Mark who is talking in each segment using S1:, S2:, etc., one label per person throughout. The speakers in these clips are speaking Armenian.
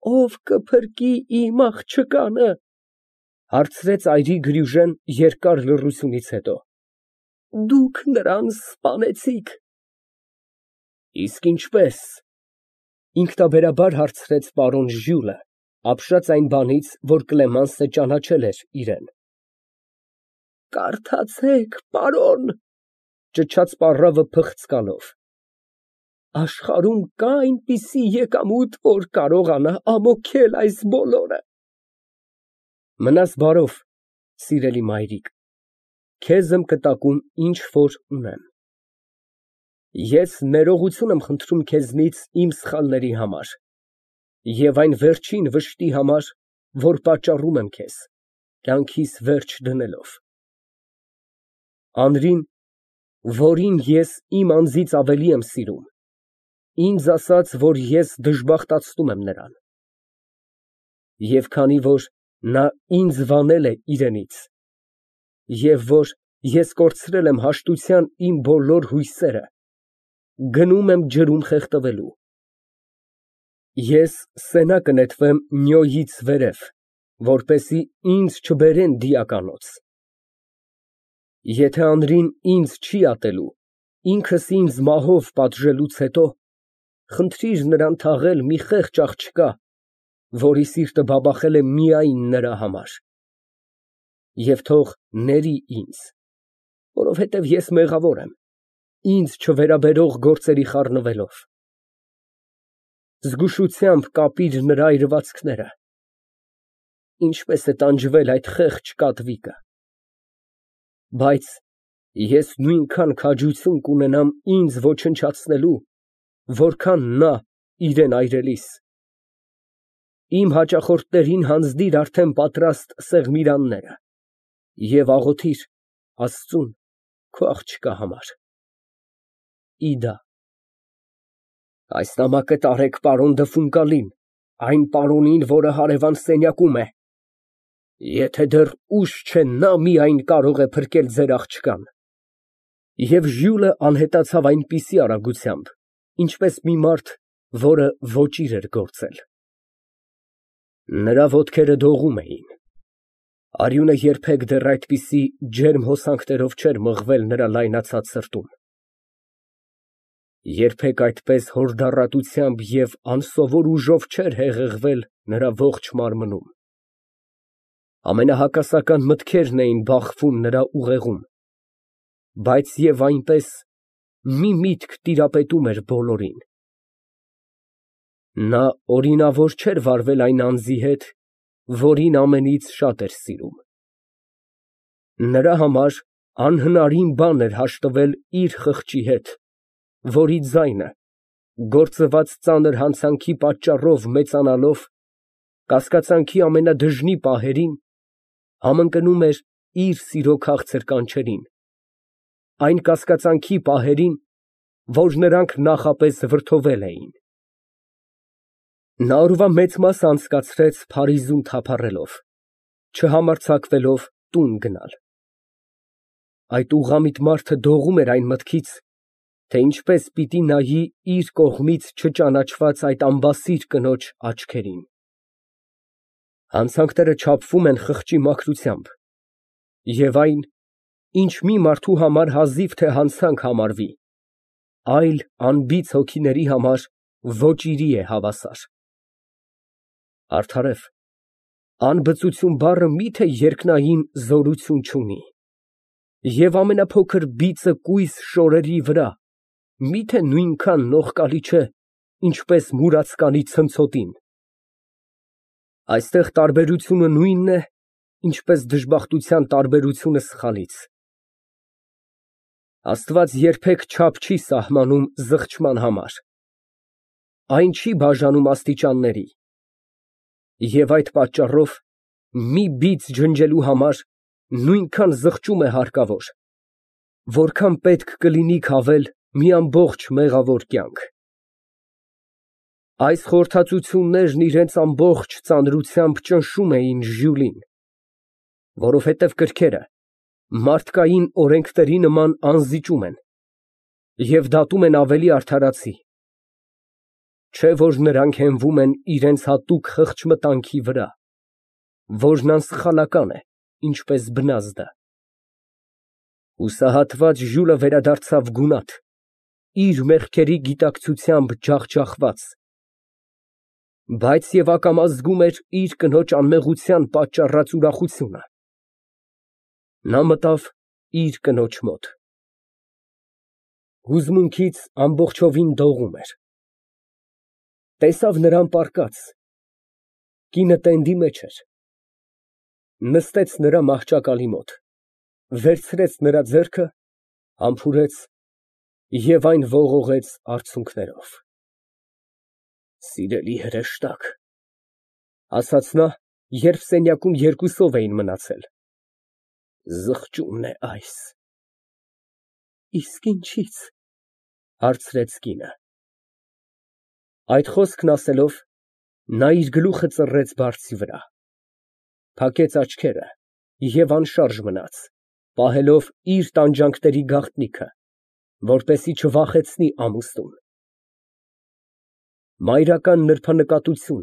S1: Ո՞վ կփրկի իմ աղջկանը, հարցրեց այրի Գրյուժեն երկար լռությունից հետո։ Դուք նրան սպանեցիք։ Իսկ ինչպե՞ս, ինքնաբերաբար հարցրեց պարոն Ժյուլը, ապշած այն բանից, որ Կլեմանսը ճանաչել էր իրեն։ Կարդացեք, պարոն, ճչաց պառավը փղծկալով։ Աշխարհում կա այնպիսի եկամուտ, որ կարողանա ամոթել այս բոլորը։ Մնաս բարով, սիրելի մայրիկ, քեզ եմ կտակում ինչ որ ունեմ։ Ես ներողություն եմ խնդրում քեզնից իմ սխալների համար և այն վերջին վշտի համար, որ պատճառում եմ քեզ, կյանքիս վերջ դնելով։ Անրին, որին ես իմ անձից ավելի եմ սիրում, ինձ ասաց, որ ես դժբախտացնում եմ նրան։ Եվ քանի որ նա ինձ վանել է իրենից, և որ ես կորցրել եմ հաշտության իմ բոլոր հույսերը, գնում եմ ջրում խեղդվելու։ Ես սենա կնետվեմ Նյոյից վերև, որպեսզի ինձ չբերեն դիականոց։ Եթե Անրին ինձ չի ատելու, ինքս ինձ մահով պատժելուց հետո, խնդրիր նրան թաղել մի խեղճ աղջկա, որի սիրտը բաբախել է միայն նրա համար, և թող ների ինձ, որովհետև ես մեղավոր եմ, ինձ չվերաբերող գործերի խառնվելով։ Զգուշությամբ կապիր նրա այրվածքները, ինչպես է տանջվել այդ խեղճ կատվիկը։ Բայց ես նույնքան քաջություն կունենամ ինձ ոչնչացնելու, որքան նա իրան այրելիս։ Իմ հաճախորդներին հանձնիր արդեն պատրաստ սեղմիրանները և աղոթիր Աստծուն քո աղջկա համար։ ԻԴԱ։ Այս նամակը տարեք պարոն Դըֆունկալին, այն պարոնին, որը հարևան սենյակում է։ Եթե դեռ ուշ չէ, նա միայն կարող է փրկել ձեր աղջկան։ Եվ Ժյուլը անհետացավ այնպիսի արագությամբ, ինչպես մի մարդ, որը ոճիր էր գործել։ Նրա ոտքերը դողում էին։ Արյունը երբեք դեռ այդպիսի ջերմ հոսանքներով չէր մղվել նրա լայնացած սրտում։ Երբեք այդպես հորդառատությամբ և անսովոր ուժով չէր հեղեղվել նրա ողջ մարմնում։ Ամենահակասական մտքերն էին բախվում նրա ուղեղում, բայց և այնպես մի միտք տիրապետում էր բոլորին։ Նա օրինավոր չէր վարվել այն անձի հետ, որին ամենից շատ էր սիրում։ Նրա համար անհնարին բան էր հաշտվել իր խղճի հետ, որի ձայնը, գործված ծանր հանցանքի պատճառով մեծանալով, կասկածանքի ամենադժնի պահերին, համընկնում էր իր սիրո քաղցր կանչերին, այն կասկածանքի պահերին, որ նրանք նախապես վրդովել էին։ Նա օրվա մեծ մասը անցկացրեց Փարիզում թափառելով, չհամարձակվելով տուն գնալ։ Այդ ուղղամիտ մարդը դողում էր այն մտքից, թե ինչպես պիտի նայի իր կողմից չճանաչված այդ անբասիր կնոջ աչքերին։ Հանցանքները չափվում են խղճի մաքրությամբ, և այն, ինչ մի մարդու համար հազիվ թե հանցանք համարվի, այլ անբիծ հոգիների համար ոճիրի է հավասար։ Արդարև, անբծություն բառը մի՞թե երկնային զորություն չունի, և ամենափոքր բիծը կույս շորերի վրա մի՞թե նույնքան նողկալի չէ, ինչպես մուրացկանի ցնցոտին։ Այստեղ տարբերությունը նույնն է, ինչպես դժբախտության տարբերությունը սխալից։ Աստված երբեք չափ չի սահմանում զղջման համար, այն չի բաժանում աստիճանների, և այդ պատճառով մի բիծ ջնջելու համար նույնքան զղջում է հարկավոր, որքան պետք կլինի քավել մի ամբողջ մեղավոր կյանք։ Այս խորհրդածություններն իրենց ամբողջ ծանրությամբ ճնշում էին Ժյուլին, որովհետև կրքերը մարդկային օրենքների նման անզիջում են և դատում են ավելի արդարացի։ Չէ որ նրանք հենվում են իրենց հատուկ խղճմտանքի վրա, որն անսխալական է, ինչպես բնազդը։ Հուսահատված Ժյուլը վերադարձավ գունատ, իր մեղքերի գիտակցությամբ ջախջախված, բայց և ակամա զգում էր իր կնոջ անմեղության պատճառած ուրախությունը։ Նա մտավ իր կնոջ մոտ։ Հուզմունքից ամբողջովին դողում էր։ Տեսավ նրան պառկած, կինը տենդի մեջ էր, նստեց նրա մահճակալի մոտ, վերցրեց նրա ձեռքը, համբուրեց և այն ողողեց արցունքներով։ Սիրելի հրեշտակ, ասաց նա, երբ սենյակում երկուսով էին մնացել, զղջումն է այս։ Իսկ ինչի՞ց, հարցրեց կինը։ Այդ խոսքն ասելով, նա իր գլուխը ծռեց բարձի վրա, փակեց աչքերը և անշարժ մնաց, պահելով իր տանջանքների գաղտնիքը, որպեսզի չվախեցնի ամուսնուն։ Մայրական նրբանկատություն,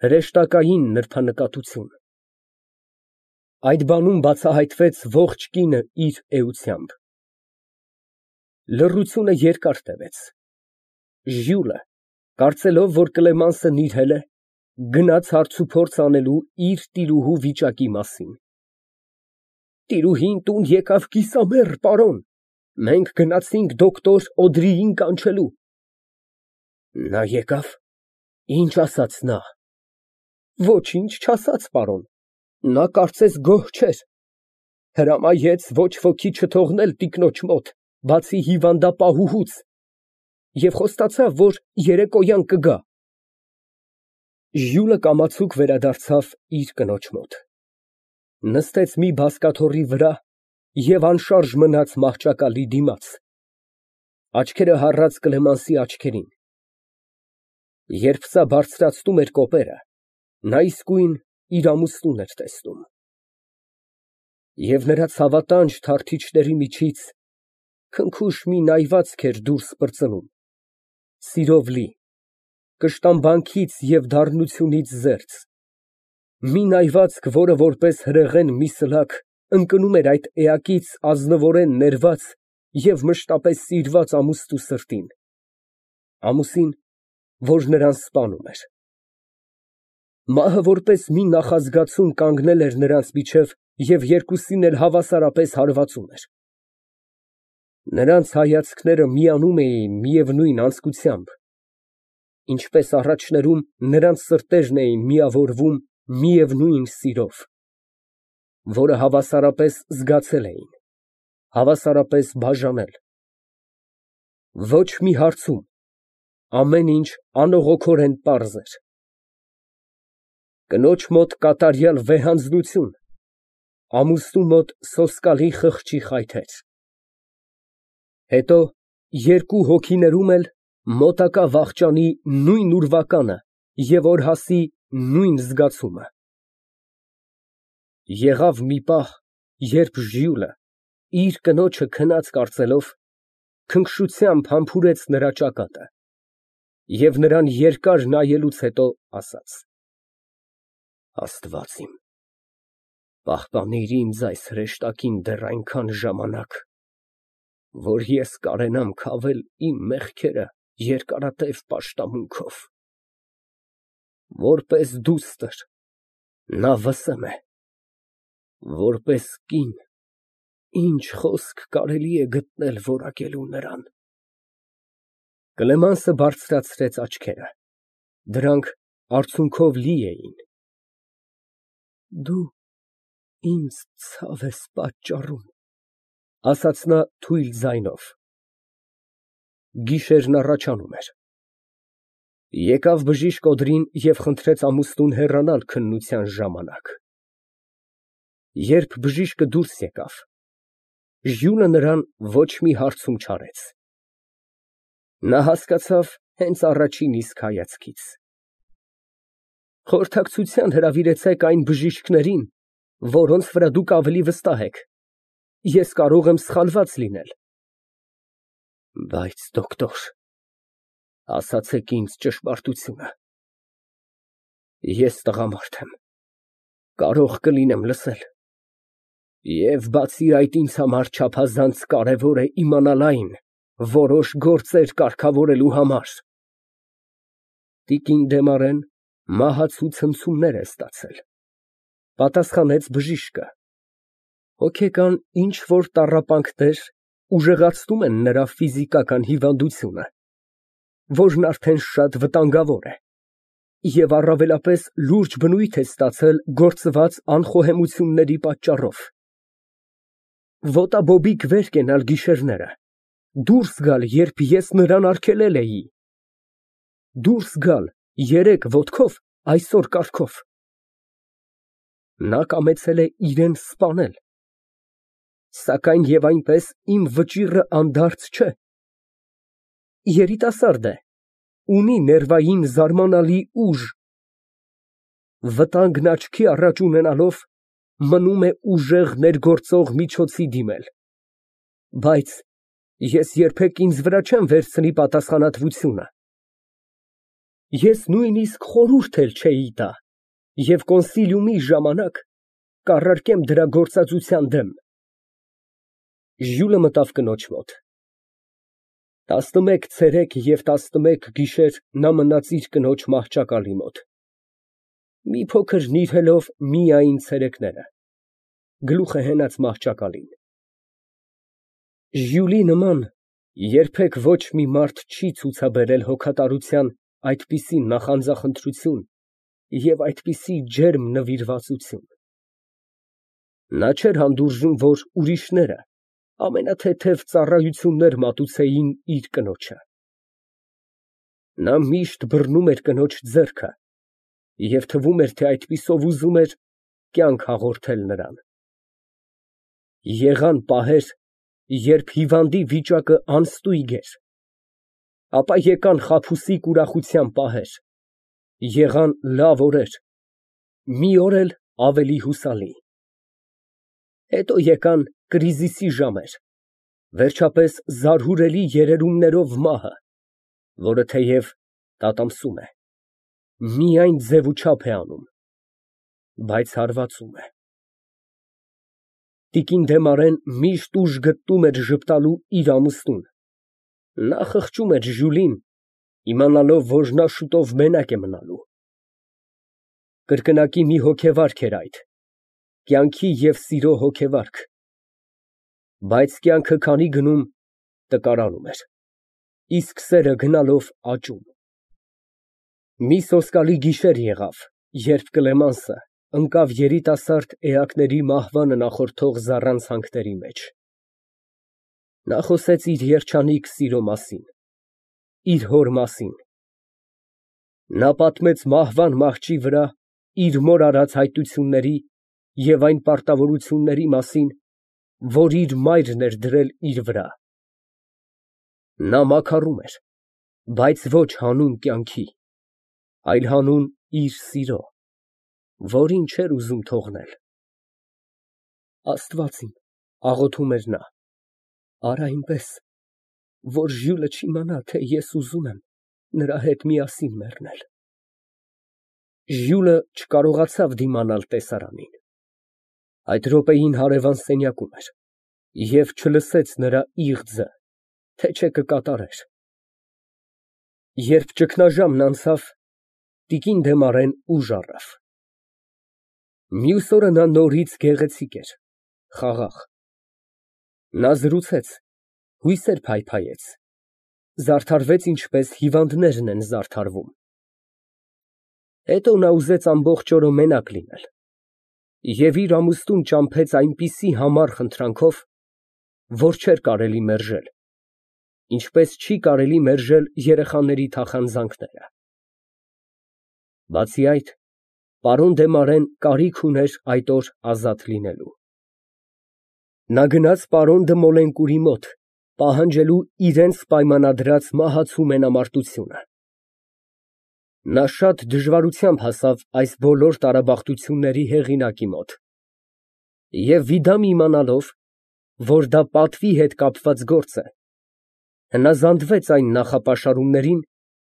S1: հրեշտակային նրբանկատություն։ Այդ բանում բացահայտվեց ողջ կինը իր էությամբ։ Լռությունը երկար տևեց։ Ժյուլը, կարծելով, որ Կլեմանսը նիրհել է, գնաց հարցուփորձ անելու իր տիրուհու վիճակի մասին։ Տիրուհին տուն եկավ կիսամեռ, պարոն, մենք գնացինք դոկտոր Օդրիին կանչելու։ Նա եկավ, ինչ ասաց նա։ Ոչինչ չասաց, պարոն, նա կարծես գոհ չէր, հրամայեց ոչ ոքի չթողնել տիկնոջ մոտ, բացի հիվանդապահուհուց, և խոստացավ, որ երեկոյան կգա։ Ժյուլը կամացուկ վերադարձավ իր կնոջ մոտ, նստեց մի բազկաթոռի վրա և անշարժ մնաց մահճակալի դիմաց, աչքերը հառած Կլեմանսի աչքերին։ Երբ սա բարձրացնում էր կոպերը, նա իսկույն իր ամուսնուն էր տեսնում։ Եվ նրա ցավատանջ թարթիչների միջից քնքուշ մի նայվածք էր դուրս պրծնում, սիրով լի, կշտամբանքից և դառնությունից զերծ, մի նայվածք, որը որպես հրեղեն մի սլաք ընկնում էր այդ էակից ազնվորեն ներված և մշտապես սիրված ամուսնու սրտին, ամուսին, որ նրան սպանում էր։ Մահը որպես մի նախազգացում կանգնել էր նրանց միջև և երկուսին էլ հավասարապես հարվածում էր։ Նրանց հայացքները միանում էին միևնույն անձկությամբ, ինչպես առաջներում նրանց սրտերն էին միավորվում միևնույն սիրով, որը հավասարապես զգացել էին, հավասարապես բաժանել։ Ոչ մի հարցում, ամեն ինչ անողոքորեն պարզ էր։ Կնոջ մոտ կատարյալ վեհանձնություն, ամուսնու մոտ սոսկալի խղճի խայթեր։ Հետո երկու հոգիներում էլ մոտակա վախճանի նույն ուրվականը և օրհասի նույն զգացումը։ Եղավ մի պահ, երբ Ժյուլը, իր կնոջը քնած կարծելով, քնքշությամբ համբուրեց նրա ճակատը և նրան երկար նայելուց հետո ասաց. Աստված իմ, պահպանիր ինձ այս հրեշտակին դեռ այնքան ժամանակ, որ ես կարենամ քավել իմ մեղքերը երկարատև պաշտամունքով։ Որպես դուստր, նա վսեմ է, որպես կին, ինչ խոսք կարելի է գտնել որակելու նրան։ Կլեմանսը բարձրացրեց աչքերը, դրանք արցունքով լի էին։ Դու ինձ ցավ ես պատճառում, ասաց նա թույլ ձայնով։ Գիշերն առաջանում էր։ Եկավ բժիշկ Օդրին և խնդրեց ամուսնուն հեռանալ քննության ժամանակ։ Երբ բժիշկը դուրս եկավ, Ժյուլը նրան ոչ մի հարցում չարեց։ Նա հասկացավ հենց առաջին իսկ հայացքից։ Խորհրդակցության հրավիրեցեք այն բժիշկներին, որոնց վրա դուք ավելի վստահ եք, ես կարող եմ սխալված լինել։ Բայց դոկտոր, Ասացեք ինձ ճշմարտությունը։ Ես տղամարդ եմ, կարող կլինեմ լսել, և բացի այդ ինձ համար չափազանց կարևոր է իմանալ այն որոշ գործեր կարգավորելու համար։ Տիկին Դեմարեն մահացու ցնցումներ է ստացել, պատասխանեց բժիշկը։ Հոգեկան ինչ-որ տառապանքներ ուժեղացնում են նրա ֆիզիկական հիվանդությունը, որն արդեն շատ վտանգավոր է, և առավելապես լուրջ բնույթ է ստացել գործված անխոհեմությունների պատճառով։ Ոտաբոբիկ վեր կենալ գիշերները, դուրս գալ, երբ ես նրան արգելել էի, դուրս գալ երեկ ոտքով, այսօր կառքով։ Նա կամեցել է իրան սպանել, սակայն և այնպես իմ վճիռը անդարձ չէ։ Երիտասարդ է, ունի ներվային զարմանալի ուժ, վտանգն աչքի առաջ ունենալով, մնում է ուժեղ ներգործող միջոցի դիմել, բայց ես երբեք ինձ վրա չեմ վերցնի պատասխանատվությունը։ Ես նույնիսկ խորհուրդ էլ չէի տա և կոնսիլիումի ժամանակ կառարկեմ դրա գործածության դեմ։ Ժյուլը մտավ կնոջ մոտ։ 11 ցերեկ և 11 գիշեր նա մնաց իր կնոջ մահճակալի մոտ, մի փոքր նիրհելով միայն ցերեկները, գլուխը հենած մահճակալին։ Ժյուլի նման երբեք ոչ մի մարդ չի ցուցաբերել հոգատարության այդպիսի նախանձախնդրություն և այդպիսի ջերմ նվիրվածություն։ Նա չէր հանդուրժում, որ ուրիշները ամենաթեթև ծառայություններ մատուցեին իր կնոջը։ Նա միշտ բռնում էր կնոջ ձեռքը և թվում էր, թե այդպիսով ուզում էր կյանք հաղորդել նրան։ Եղան պահեր, երբ հիվանդի վիճակը անստույգ էր, ապա եկան խաբուսիկ ուրախության պահեր, եղան լավ օրեր, մի օր էլ ավելի հուսալի։ Հետո եկան կրիզիսի ժամեր, վերջապես զարհուրելի երերումներով մահը, որը թեև տատամսում է, միայն ձև ու չափ է անում, բայց հարվածում է։ Տիկին Դեմարեն միշտ ուժ գտնում էր ժպտալու իր ամուսնուն։ Նա խղճում էր Ժյուլին, իմանալով, որ նա շուտով մենակ է մնալու։ Կրկնակի մի հոգեվարք էր այդ, կյանքի և սիրո հոգեվարք, բայց կյանքը քանի գնում, տկարանում էր, իսկ սերը գնալով աճում։ Մի սոսկալի գիշեր եղավ, երբ Կլեմանսը ընկավ երիտասարդ էակների մահվանը նախորդող զառանցանքների մեջ։ Նա խոսեց իր երջանիկ սիրո մասին, իր հոր մասին։ Նա պատմեց մահվան մահճի վրա իր մոր արած հայտությունների և այն պարտավորությունների մասին, որ իր մայրն էր դրել իր վրա։ Նա մաքարում էր, բայց ոչ հանուն կյանքի, այլ հանուն իր սիրո, որին չէր ուզում թողնել։ Աստված իմ, աղոթում էր նա, արա այնպես, որ Ժյուլը չիմանա, թե ես ուզում եմ նրա հետ միասին մեռնել։ Ժյուլը չկարողացավ դիմանալ տեսարանին։ Այդ րոպեին հարևան սենյակում էր և չլսեց նրա իղձը, թե չէ կկատարեր։ Երբ ճգնաժամն անցավ, տիկին Դեմարեն ուժ առավ։ Մյուս օրը նա նորից գեղեցիկ էր, խաղաղ։ Նա զրուցեց, հույսեր փայփայեց, զարդարվեց, ինչպես հիվանդներն են զարդարվում։ Հետո նա ուզեց ամբողջ օրը մենակ լինել և իր ամուսնուն ճամփեց այնպիսի համառ խնդրանքով, որ չէր կարելի մերժել, ինչպես չի կարելի մերժել երեխաների թախանձանքները։ Բացի այդ, պարոն Դեմարեն կարիք ուներ այդ օր ազատ լինելու։ Նա գնաց պարոն Դը Մոլենկուրի մոտ, պահանջելու իրենց պայմանադրած մահացու մենամարտությունը։ Նա շատ դժվարությամբ հասավ այս բոլոր տարաբախտությունների հեղինակի մոտ և վիդամ իմանալով, որ դա պատվի հետ կապված գործ է, հնազանդվեց այն նախապաշարումներին,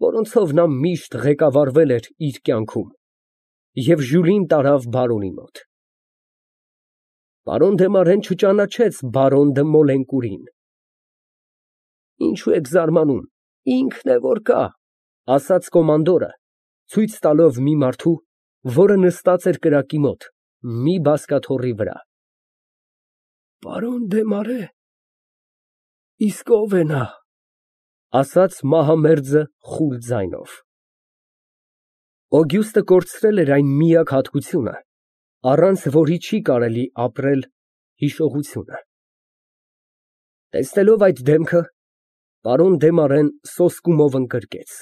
S1: որոնցով նա միշտ ղեկավարվել էր իր կյանքում, և Ժյուլին տարավ բարոնի մոտ։ Պարոն Դեմարեն չճանաչեց բարոն դը Մոլենկուրին։ Ինչու եք զարմանում, ինքն է որ կա, ասաց կոմանդորը, ցույց տալով մի մարդու, որը նստած էր կրակի մոտ, մի բազկաթոռի վրա։ Պարոն Դեմարե, իսկ ո՞վ է նա, ասաց մահամերձը խուլ ձայնով։ Օգյուստը կորցրել էր այն միակ հատկությունը, առանց որի չի կարելի ապրել, հիշողությունը։ Տեսնելով այդ դեմքը, պարոն Դեմարեն սոսկումով ընկրկեց։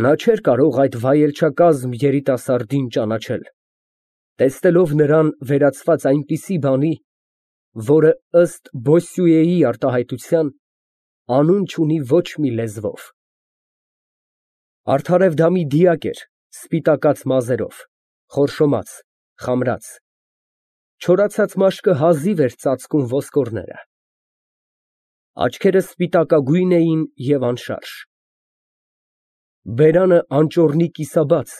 S1: Նա չէր կարող այդ վայելչակազմ երիտասարդին ճանաչել, տեսնելով նրան վերածված այնպիսի բանի, որը ըստ Բոսսյուեի արտահայտության անուն չունի ոչ մի լեզվով։ Արդարևդամի դիակ էր, սպիտակած մազերով, խորշոմած, խամրած, չորացած մաշկը հազիվ էր ծածկում ոսկորները։ Աչքերը սպիտակագույն էին և անշարժ։ Բերանը անճոռնի կիսաբաց,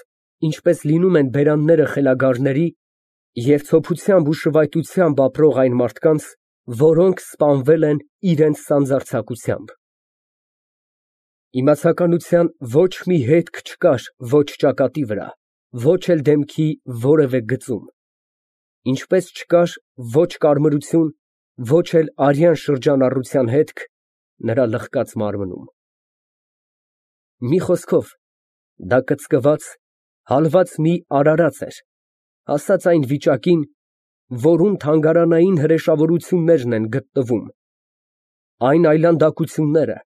S1: ինչպես լինում են բերանները խելագարների և ցոփությամբ ու շվայտությամբ ապրող այն մարդկանց, որոնք սպանվել են իրենց սանձարձակությամբ։ Իմացականության ոչ մի հետք չկար ոչ ճակատի վրա, ոչ էլ դեմքի որևէ գծում, ինչպես չկար ոչ կարմրություն, ոչ էլ արյան շրջանառության հետք նրա լղկած մարմնում։ Մի խոսքով, դա կծկված, հալված մի արարած էր, հասած այն վիճակին, որում թանգարանային հրեշավորություններն են գտնվում, այն այլանդակությունները,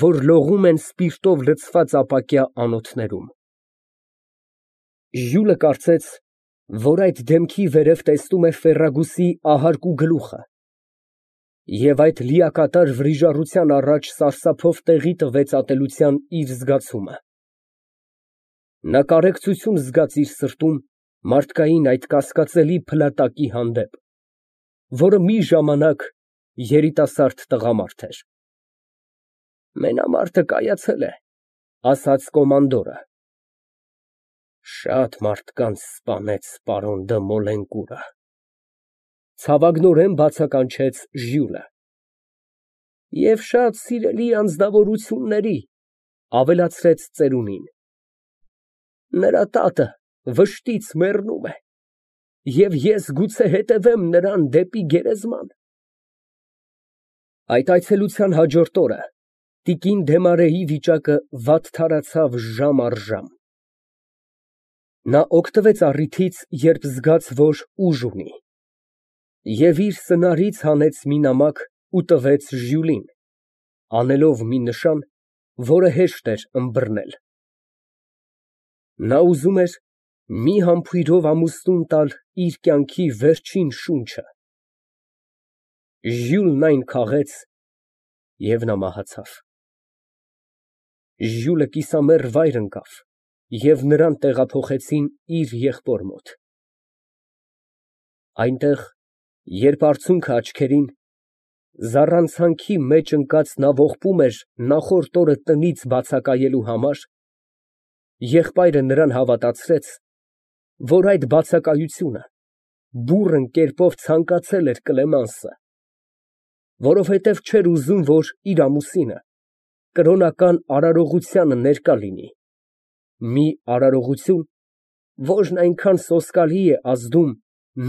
S1: որ լողում են սպիրտով լցված ապակյա անոթներում։ Ժյուլը կարծեց, որ այդ դեմքի վերև տեսնում է Ֆերրագուսի ահարկու գլուխը, և այդ լիակատար վրիժառության առաջ սարսափով տեղի տվեց ատելության իր զգացումը։ Նա կարեկցություն զգաց իր սրտում մարդկային այդ կասկածելի փլատակի հանդեպ, որը մի ժամանակ երիտասարդ տղամարդ էր։ Մենամարտը կայացել է, ասաց կոմանդորը։ Շատ մարդկանց սպանեց պարոն դը Մոլենկուրը, ցավագնորեն բացականչեց Ժյուլը։ Եվ շատ սիրելի անձնավորությունների, ավելացրեց ծերունին։ Նրա տատը վշտից մեռնում է, և ես գուցե հետևեմ նրան դեպի գերեզման։ Այդ այցելության հաջորդ օրը տիկին Դեմարեի վիճակը վատթարացավ ժամ առ ժամ։ Նա օգտվեց առիթից, երբ զգաց, որ ուժ ունի, և իր սնարից հանեց մի նամակ ու տվեց Ժյուլին, անելով մի նշան, որը հեշտ էր ըմբռնել։ Նա ուզում էր մի համբույրով ամուսնուն տալ իր կյանքի վերջին շունչը։ Ժյուլն այն քաղեց, և նա մահացավ։ Ժյուլը կիսամեռ վայր ընկավ, և նրան տեղափոխեցին իր եղբոր մոտ։ Այնտեղ, երբ արցունքը աչքերին, զառանցանքի մեջ ընկած նա ողբում էր նախորդ օրը տնից բացակայելու համար, եղբայրը նրան հավատացրեց, որ այդ բացակայությունը բուռն կերպով ցանկացել էր Կլեմանսը, որովհետև չէր ուզում, որ իր ամուսինը կրոնական արարողությանը ներկա լինի, մի արարողություն, որն այնքան սոսկալի է ազդում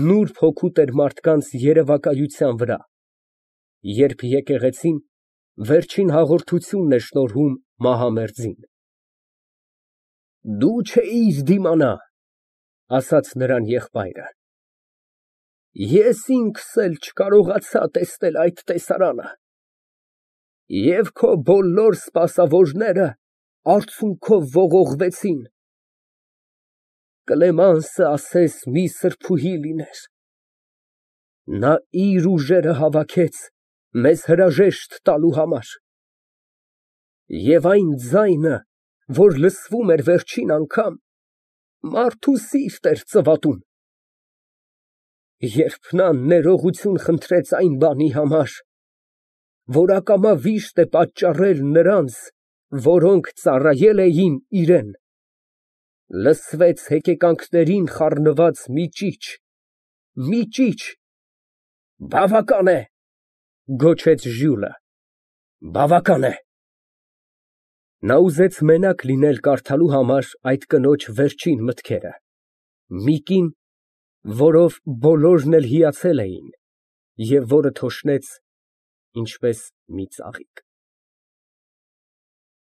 S1: նուրբ հոգու տեր մարդկանց երևակայության վրա, երբ եկեղեցին վերջին հաղորդությունն է շնորհում մահամերձին։ Դու չէիր դիմանա, ասաց նրան եղբայրը։ Ես ինքս էլ չկարողացա տեսնել այդ տեսարանը, և քո բոլոր սպասավորները արցունքով ողողվեցին։ Կլեմանսը ասես մի սրբուհի լիներ. նա իր ուժերը հավաքեց մեզ հրաժեշտ տալու համար, և այն ձայնը, որ լսվում էր վերջին անգամ, մարդու սիրտ էր ծվատում։ Երբ նա ներողություն խնդրեց այն բանի համար, որ ակամա վիշտ է պատճառել նրանց որոնք ծառայել էին իրան։ Լսվեց հեկեկանքներին խառնված մի ճիչ։ Բավական է, գոչեց Ժյուլը, բավական է։ Նա ուզեց մենակ լինել կարդալու համար այդ կնոջ վերջին մտքերը, մի կին, որով բոլորն էլ հիացել էին և որը թոշնեց ինչպես մի ծաղիկ։